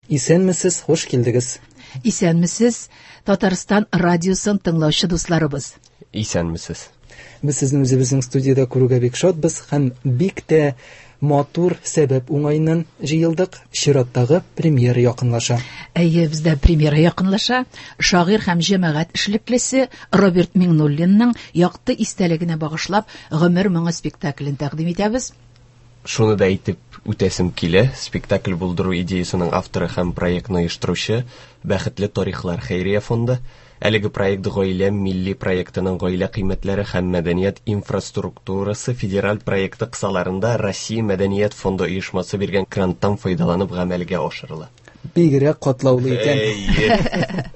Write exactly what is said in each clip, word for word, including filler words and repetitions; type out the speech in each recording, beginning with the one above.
Исәнмесез, хуш килдегез. Исәнмесез, Татарстан радиосын тыңлаучы дусларыбыз. Исәнмесез. Без сезне үзебезнең студиядә күрүгә бик шатбыз һәм бик тә матур сәбәп уңаеннан җыелдык. Чираттагы премьера якынлаша. Әйе, бездә премьера якынлаша. Шагыйрь һәм җәмәгать эшлеклесе Роберт Миңнуллинның якты истәлегенә багышлап «Гомер моңы» спектаклен тәкъдим итәбез. Шуны да әйтеп үтәсем килә, спектакль булдыру идеясының авторы һәм проектны оештыручы Бәхетле тарихлар хәйрия фонды. Әлеге проект Гаилә милли проектының гаилә кыйммәтләре һәм мәдәният инфраструктурасы федераль проекты кысаларында Россия мәдәният фонды оешмасы биргән гранттан файдаланып гамәлгә ашырыла. Бигрәк катлаулы икән. Әйе.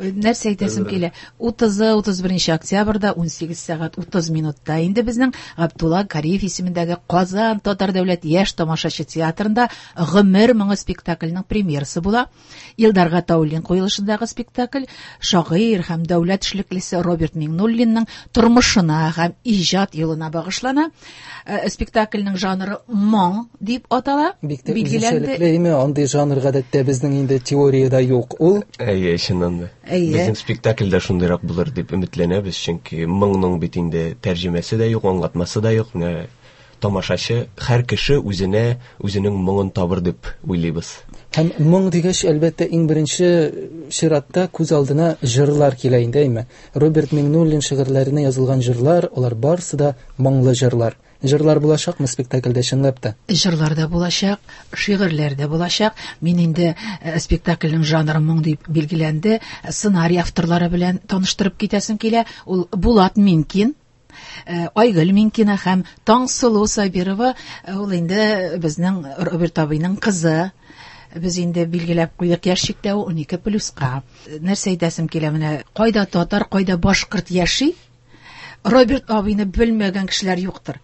Нәрсә әйтәсем килә? Утызы, утыз беренче октябрьдә ун сигез сәгать утыз минутта инде безнең Габдулла Кариев исемендәге Казан Татар дәүләт яшь тамашачы театрында «Гомер моңы» спектакленең премьерасы була. Илдар Гатауллин куелышындагы спектакль шагыйрь һәм дәүләт эшлеклесе Роберт Миңнуллинның тормышына һәм иҗат юлына багышлана. Э, спектакльнең жанры моң дип атала. Бик тә Билгеләнде. үзенчәлекле, әйме, андый жанр гадәттә безнең инде теориядә юк ул. Әйе, чыннан да. Әйе. Безнең спектакль дә шундыйрак булыр дип өметләнәбез, чөнки моңның бит инде тәрҗемәсе дә юк, аңлатмасы да юк. Менә тамашачы, һәр кеше үзенә үзенең моңын табыр дип уйлыйбыз. Һәм моң дигәч, әлбәттә, иң беренче чиратта күз алдына җырлар килә инде, әйме? Роберт Миңнуллин шигырьләренә язылган җырлар, алар барысы да моңлы җырлар. Җырлар булачакмы спектакльдә чынлап та? Җырлар да булачак, шигырьләр дә булачак. Мин инде, э, спектакльнең жанры моң дип билгеләнде. Сценарий авторлары белән таныштырып китәсем килә. Ул Булат Минкин, э, Айгөл Минкина һәм Таңсылу Сабирова, э, ул инде безнең Роберт абыйның кызы. Без инде билгеләп куйдык яшь чикләве унике плюска. Нәрсә әйтәсем килә, менә кайда татар, кайда башкорт яши, Роберт абыйны белмәгән кешеләр юктыр.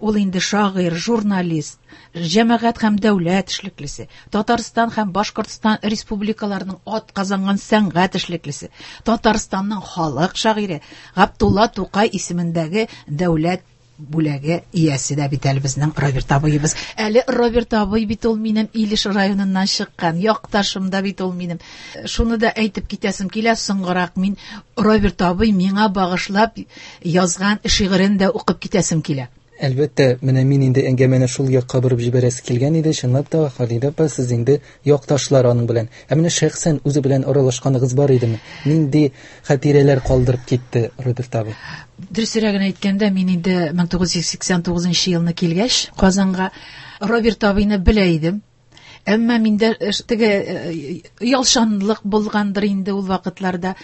Ул инде шагыйрь, журналист, җәмәгать һәм дәүләт эшлеклесе, Татарстан һәм Башкортстан республикаларының ат казанган сәнгать эшлеклесе, Татарстанның халык шагыйре Габдулла Тукай исемендәге дәүләт бүләге иясе дә бит әле безнең Роберт абыебыз. Әле Роберт абый бит ул минем Илеш районыннан чыккан, якташым да бит ул минем. Шуны да әйтеп китәсем килә, соңгырак мин Роберт абый миңа багышлап язган шигырен дә укып китәсем килә. Әлбәттә, менә мин инде әңгәмәне шул якка борып җибәрәсе килгән иде. Чынлап та, Халидә апа, сез инде якташлар аның белән. Ә менә шәхсән үзе белән аралашканыгыз бар идеме? Нинди хатирәләр калдырып китте Роберт абый? Дөресрәген әйткәндә, мин инде мең тугыз йөз сиксән тугызынчы елны килгәч Казанга Роберт абыйны белә идем. Әмма миндә теге, э, ялшанлык булгандыр инде ул вакытларда.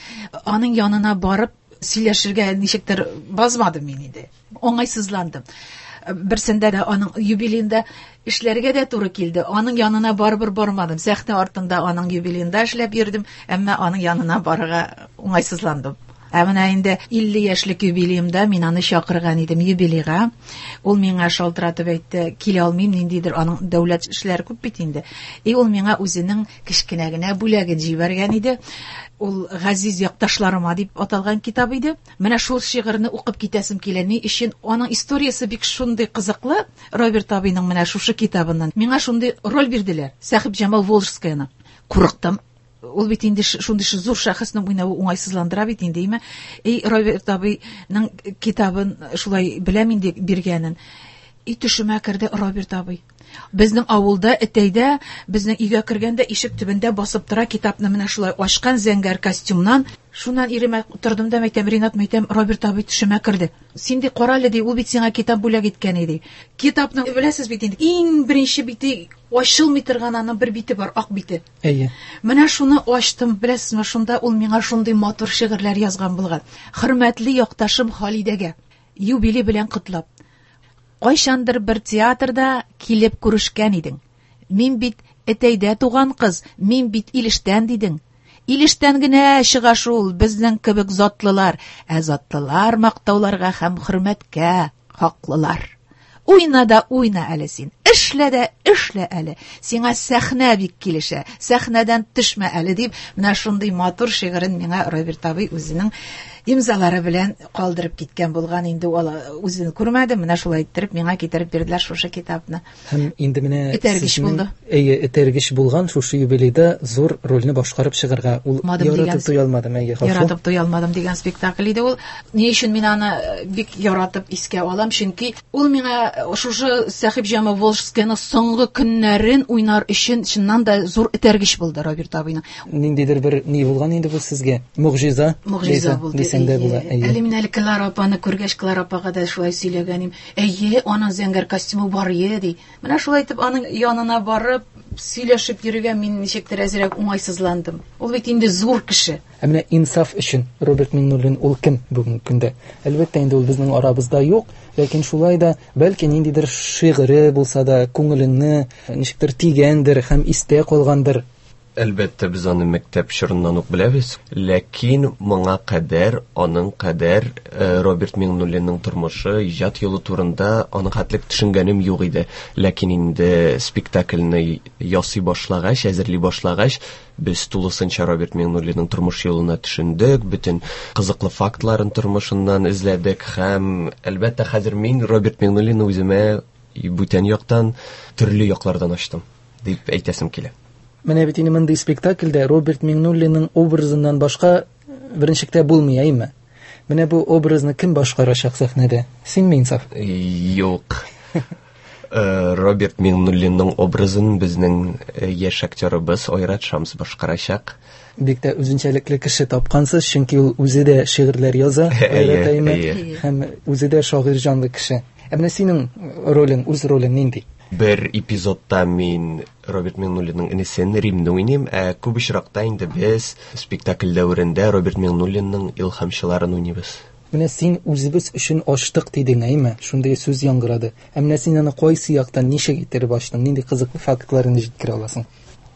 Аның янына барып сөйләшергә ничектер базмадым мин инде. Уңайсызландым. Берсендә дә аның юбилеенда эшләргә дә туры килде. Аның янына барыбер бармадым. Сәхнә артында аның юбилеенда эшләп йөрдем, әмма аның янына барырга уңайсызландым. Ә менә инде илле яшьлек юбилеемда мин аны чакырган идем юбилейга. Ул миңа шалтыратып әйтте, килә алмыйм, ниндидер аның дәүләт эшләре күп бит инде. И ул миңа үзенең кечкенә генә бүләген җибәргән иде. Ул Газиз якташларыма дип аталган китап иде. Менә шул шигырьне укып китәсем килә. Ни өчен? Аның историясе бик шундый кызыклы. Роберт абыйның менә шушы китабыннан миңа шундый роль бирделәр. Сәхибҗамал Волжскаяны. Курыктым. Ул бит инде ш-, шундый ш-, зур шәхеснең уйнавы уңайсызландыра бит инде, әйме? Эй, Роберт абыйның китабын шулай беләм инде биргәнен. И төшемә керде Роберт абый. Безнең авылда, Этәйдә, безнең өйгә кергәндә ишек төбендә басып тора, китапны менә шулай ачкан зәңгәр костюмнан. Шуннан иремә тордым да әйтәм, Ринат, әйтәм, Роберт абый төшемә керде. Син ди, кара әле, ди, ул бит сиңа китап бүләк иткән иде. Китапны беләсез бит инде, иң беренче бите ачылмый торган аның бер бите бар, ак бите. Әйе. Менә шуны ачтым, беләсезме, шунда ул миңа шундый матур шигырьләр язган булган. Хөрмәтле якташым Халидәгә, юбилей белән котлап. Кайчандыр бер театрда килеп күрешкән идең. Мин бит Этәйдә туган кыз, мин бит Илештән дидең. Илештән генә чыга шул безнең кебек затлылар, ә затлылар мактауларга һәм хөрмәткә хаклылар. Уйна да уйна әле син, Эшлә дә эшлә әле. Сиңа сәхнә бик килешә. Сәхнәдән төшмә әле дип, менә шундый матур шигырен миңа Роберт абый үзенең имзалары белән калдырып киткән булган. Инде ул үзен күрмәде, менә шулай иттереп миңа китереп бирделәр шушы китапны. Һәм инде менә этәргеч булды. Әйе, этәргеч булган шушы юбилейда зур рольне башкарып чыгарга. Ул яратып туя алмадым, әйе, хафу. Яратып туя алмадым дигән спектакль иде ул. Ни өчен мин аны бик яратып искә алам? Чөнки ул миңа шушы Сәхибҗамал Волжскийның соңгы көннәрен уйнар өчен чыннан да зур этәргеч булды Роберт абыйның. Ниндидер бер ни булган инде бу сезгә? Могҗиза. Могҗиза булды. Була, әле мин әле Клара апаны күргәч, Клара апага да шулай сөйләгәнем. Әйе, аның зәңгәр костюмы бар ие ди. Менә шулай итеп аның янына барып сөйләшеп йөрергә мин ничектер әзрәк уңайсызландым. Ул бит инде зур кеше. Ә менә инсаф өчен Роберт Миңнуллин ул кем бүгенге көндә? Әлбәттә инде ул безнең арабызда юк, ләкин шулай да бәлки ниндидер шигыре булса да күңелеңне ничектер тигәндер һәм истә калгандыр. Әлбәттә, без аны мәктәп чорыннан ук беләбез, ләкин моңа кадәр, аның кадәр Роберт Миңнуллинның тормышы, иҗат юлы турында аның хәтлек төшенгәнем юк иде. Ләкин инде спектакльне ясый башлагач, әзерли башлагач, без тулысынча Роберт Миңнуллинның тормыш юлына төшендек, бөтен кызыклы фактларын тормышыннан эзләдек һәм әлбәттә хәзер мин Роберт Миңнуллинны үземә бүтән яктан, төрле яклардан ачтым дип әйтәсем килә. Менә бит инде мондый спектакльдә Роберт Миңнуллинның образыннан башка беренчектә булмый, әйме? Менә бу образны кем башкарачак сәхнәдә? Синме, Инсаф? Юк. Роберт Миңнуллинның образын безнең яшь актерыбыз Айрат Шамс башкарачак. Бик тә үзенчәлекле кеше тапкансыз, чөнки ул үзе дә шигырьләр яза, Айрат әйме, һәм үзе дә шагыйрь җанлы кеше. Ә менә синең ролең, үз ролең нинди? Бер эпизодта мин Роберт Миңнуллинның энесен Римне уйныйм, ә күп очракта инде без спектакль дәверендә Роберт Миңнуллинның илһамчыларын уйныйбыз. Менә син үзебез өчен ачтык дидең, әйме? Шундый сүз яңгырады. Ә менә син аны кайсы яктан ничек иттереп ачтың? Нинди кызыклы фактларын җиткерә аласың?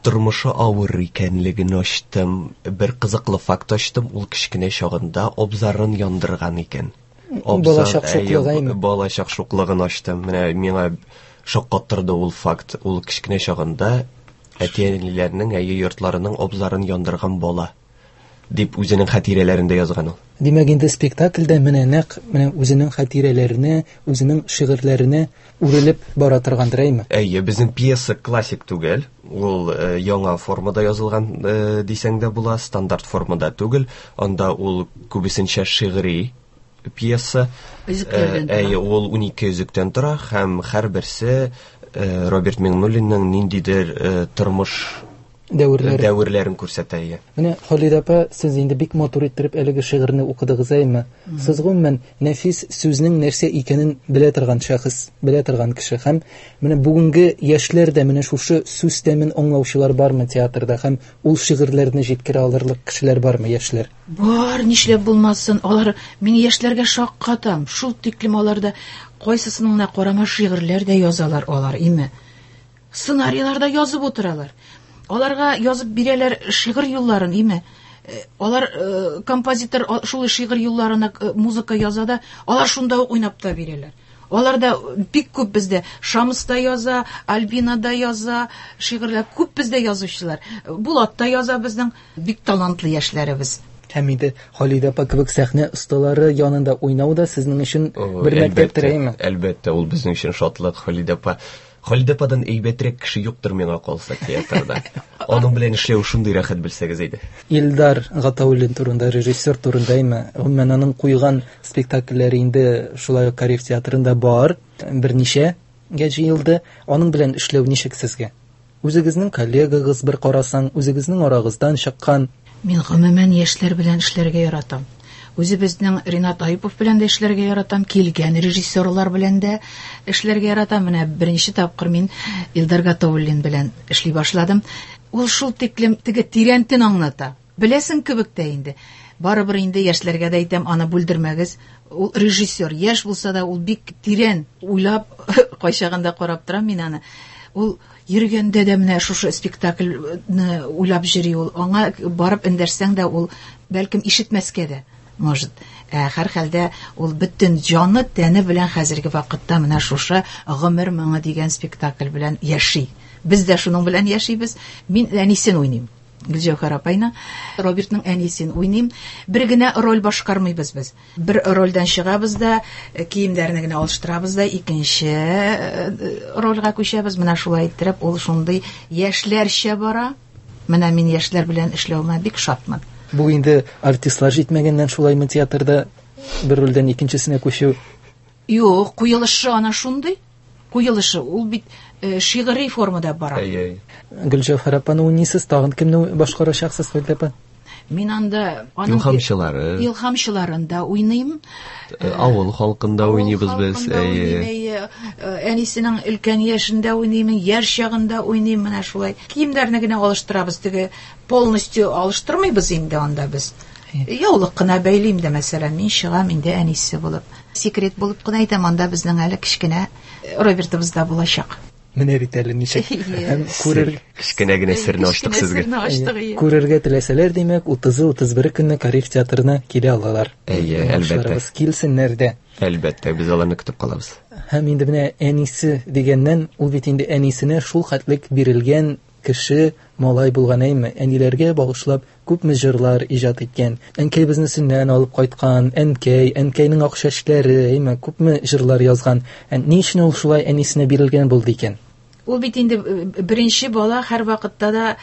Тормышы авыр икәнлеген ачтым. Бер кызыклы факт ачтым. Ул кечкенә чагында абзарын яндырган икән. Балачак шуклыгы, әйме? Балачак шуклыгын ачтым. Менә миңа шаккаттырды ул факт. Ул кечкенә чагында әти-әниләренең, әйе, йортларының абзарын яндырган бала дип үзенең хатирәләрендә язган ул. Димәк, инде спектакльдә менә нәкъ менә үзенең хатирәләренә, үзенең шигырьләренә үрелеп бара торгандыр, әйме? Әйе, безнең пьеса классик түгел. Ул яңа формада язылган дисәң дә була, стандарт формада түгел. Анда ул күбесенчә шигъри пьеса. Өзекләрдән тора. Әйе, ул унике өзектән тора һәм һәрберсе Роберт Миңнуллинның ниндидер тормыш дәверләре дәверләрен күрсәтә. Менә Халидә апа, сез инде бик матур иттереп әлеге шигырьне укыдыгыз, әйме? Сез гомумән нәфис сүзнең нәрсә икәнен белә торган шәхес, белә торган кеше һәм менә бүгенге яшьләр дә менә шушы сүз тәмен аңлаучылар бармы театрда һәм ул шигырьләрне җиткерә алырлык кешеләр бармы, яшьләр? Бар, нишләп булмасын. Алар, мин яшьләргә шаккатам. Шул тиклем аларда кайсысының гына карама шигырьләр дә язалар алар, име? Сценарийлар да язып утыралар. Аларга язып бирәләр шигырь юлларын, име? Алар композитор шул шигырь юлларына музыка яза да, алар шунда ук уйнап та бирәләр. Алар да бик күп бездә Шамс та яза, Альбина да яза, шигырьләр күп бездә язучылар. Булат та яза, безнең бик талантлы яшьләребез. Һәм инде Халидә апа кебек сәхнә осталары янында уйнау да сезнең өчен бер мәктәптер, әйме? Әлбәттә, ул безнең өчен шатлык, Халидә апа. Халидә ападан әйбәтрәк кеше юктыр миңа калса театрда. Аның белән эшләү шундый рәхәт, белсәгез иде. Илдар Гатауллин турында, режиссер турында, әйме? Гомумән аның куйган спектакльләре инде шулай ук Кариев театрында бар, берничәгә җыелды. Аның белән эшләү ничек сезгә? Үзегезнең коллегагыз бер карасаң, үзегезнең арагыздан чыккан. Мин гомумән яшьләр белән эшләргә яратам. Үзебезнең Ринат Айыпов белән дә эшләргә яратам, килгән режиссерлар белән дә эшләргә яратам. Менә беренче тапкыр мин Илдар Гатауллин белән эшли башладым. Ул шул тиклем теге тирәнтен аңлата. Беләсең кебек тә инде. Барыбер инде яшьләргә дә әйтәм, аны бүлдермәгез. Ул режиссер, яшь булса да ул бик тирән уйлап кайчагында карап торам мин аны. Ул йөргәндә дә менә шушы спектакльне уйлап йөри ул. Аңа барып эндәшсәң дә ул бәлкем ишетмәскә дә. Может, ә, һәрхәлдә ул бөтен җаны тәне белән хәзерге вакытта менә шушы Гомер моңы дигән спектакль белән яши. Без дә шуның белән яшибез. Мин әнисен уйныйм. Гөлҗәүһәр апайны, Робертның әнисен уйныйм. Бер генә роль башкармыйбыз без. Бер рольдән чыгабыз да, э, киемнәрне генә алыштырабыз да, икенче э, рольгә күчәбез. Менә шулай иттереп, ул шундый яшьләрчә бара. Менә мин яшьләр белән эшләвемә бик шатмын. Бу инде артистлар җитмәгәннән шулаймы театрда бер рольдән икенчесенә күчү? Юк, куелышы ана шундый. Куелышы ул бит э, шигъри формада бара. Әйе, әйе. Гөлҗәүһәр апаны уйныйсыз, тагын кемне башкарачаксыз, Халидә апа? Мин анда аның Илһамчылары. Илһамчыларын да уйныйм. Э, Авыл халкында уйныйбыз без. Авыл халкында Әйе. уйныйм, әйе. Э, Әнисенең өлкән яшендә уйныйм, яшь чагында уйныйм, менә шулай. Киемнәрне генә алыштырабыз, теге полностью алыштырмыйбыз инде анда без. Яулык кына бәйлим дә, мәсәлән, мин чыгам инде әнисе булып. Секрет булып кына әйтәм, анда безнең әле кечкенә Робертыбыз да булачак. Менә бит әле ничек. Әйе. Һәм күрер Кечкенә генә серне ачтык Кечкенә сезгә. серне ачтык, әйе. Күрергә теләсәләр, димәк, утызы, утыз бере көнне Кариев театрына килә алалар. Әйе, әлбәттә. Тамашачыларыбыз килсеннәр дә. Әлбәттә, без аларны көтеп калабыз. Һәм инде менә әнисе дигәннән, ул бит инде әнисенә шул хәтлек бирелгән кеше малай булган, әйме? Әниләргә багышлап күпме җырлар иҗат иткән. Әнкәй безне сөннән алып кайткан, әнкәй, әнкәйнең ак чәчләре, әйме? Күпме җырлар язган. Ә ни өчен ул шулай әнисенә бирелгән булды икән? Ул бит инде, э, беренче бала һәр вакытта да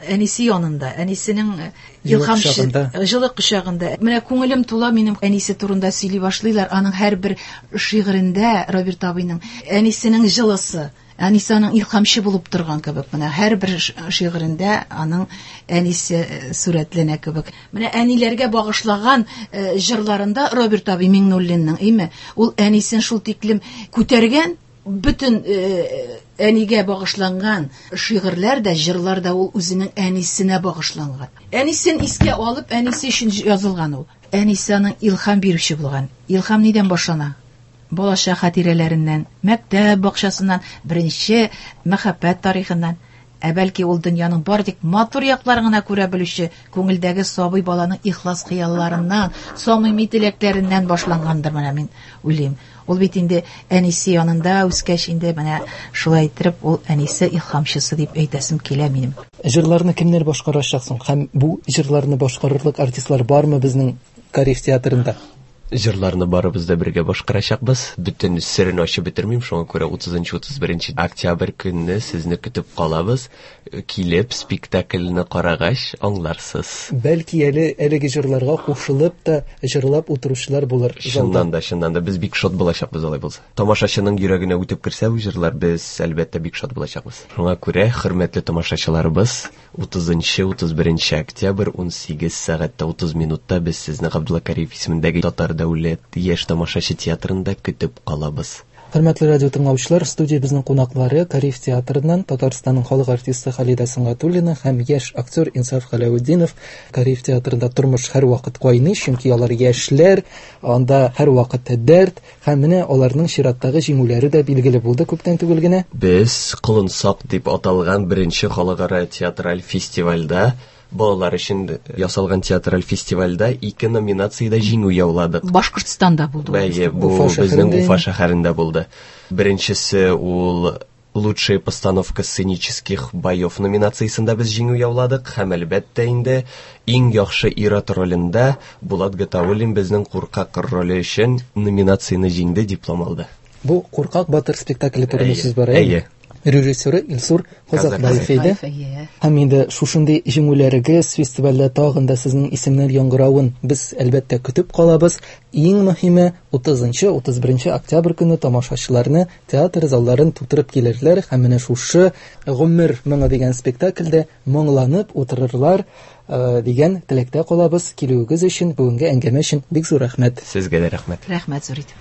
әнисе янында, әнисенең, э, Җылы илһамчы кочагында. җылы кочагында. Менә күңелем тула минем әнисе турында сөйли башлыйлар. Аның һәрбер шигырендә Роберт абыйның әнисенең җылысы, әнисе аның илһамчы булып торган кебек. Менә һәрбер ш-, шигырендә аның әнисе, э, сурәтләнә кебек. Менә әниләргә багышлаган, э, җырларында Роберт абый Миңнуллинның, әйме? Ул әнисен шул тиклем күтәргән, бөтен, э, әнигә багышланган шигырьләр дә, җырлар да ул үзенең әнисенә багышланган. Әнисен искә алып, әнисе өчен язылган ул. Әнисе аның илһам бирүче булган. Илһам нидән башлана? Балачак хатирәләреннән, мәктәп бакчасыннан, беренче мәхәббәт тарихыннан. Ә бәлки ул дөньяның бар тик матур якларын гына күрә белүче күңелдәге сабый баланың ихлас хыялларыннан, самими теләкләреннән башлангандыр, менә мин уйлыйм. Ул бит инде әнисе янында үскәч инде менә шулай иттереп ул әнисе илһамчысы дип әйтәсем килә минем. Җырларны кемнәр башкарачак соң? Һәм бу җырларны башкарырлык артистлар бармы безнең Кариев театрында? Җырларны барыбыз да бергә башкарачакбыз. Бөтен серен ачып бетермим, шуңа күрә утызынчы, утыз беренче октябрь көнне сезне көтеп калабыз. Килеп спектакльне карагач аңларсыз. Бәлки әле әлеге җырларга кушылып та җырлап утыручылар булыр залда. Чыннан да, чыннан да без бик шат булачакбыз алай булса. Тамашачының йөрәгенә үтеп керсә бу җырлар, без әлбәттә бик шат булачакбыз. Шуңа күрә, хөрмәтле тамашачыларыбыз, утызынчы, утыз беренче октябрь ун сигез сәгатьтә утыз минутта без сезне Габдулла Кариев исемендәге Татар дәүләт яшь тамашачы театрында көтеп калабыз. Хөрмәтле радио тыңлаучылар, студиябезнең кунаклары Кариев театрыннан Татарстанның халык артисты Халидә Сөнгатуллина һәм яшь актер Инсаф Галәветдинов. Кариев театрында тормыш һәрвакыт кайный, чөнки алар яшьләр, анда һәрвакыт дәрт һәм менә аларның чираттагы җиңүләре дә билгеле булды күптән түгел генә. Без Колынсак дип аталган беренче халыкара театраль фестивальдә, балалар өчен ясалган театраль фестивальдә ике номинациядә җиңү яуладык. Башкортстанда булды ул. Әйе, бу Уфа безнең шәһәрендә Уфа шәһәрендә булды. Беренчесе ул Лучшая постановка сценических боев номинациясендә без җиңү яуладык һәм әлбәттә инде иң яхшы ир-ат ролендә Булат Гатауллин безнең куркак роле өчен номинацияне җиңде, диплом алды. Бу Куркак батыр спектакле турында Әйе, сүз бара, әйе? әйе. Режиссеры Илсур Казакбаев иде. Казакбаев, әйе. Һәм инде шушындый җиңүләрегез фестивальдә тагын да сезнең исемнәр яңгыравын без әлбәттә көтеп калабыз. Иң мөһиме утызынчы, утыз беренче октябрь көне тамашачыларны театр залларын тутырып килерләр һәм менә шушы Гомер моңы дигән спектакльдә моңланып утырырлар, э, дигән теләктә калабыз. Килүегез өчен, бүгенге әңгәмә өчен бик зур рәхмәт. Сезгә дә рәхмәт. Рәхмәт зур итеп.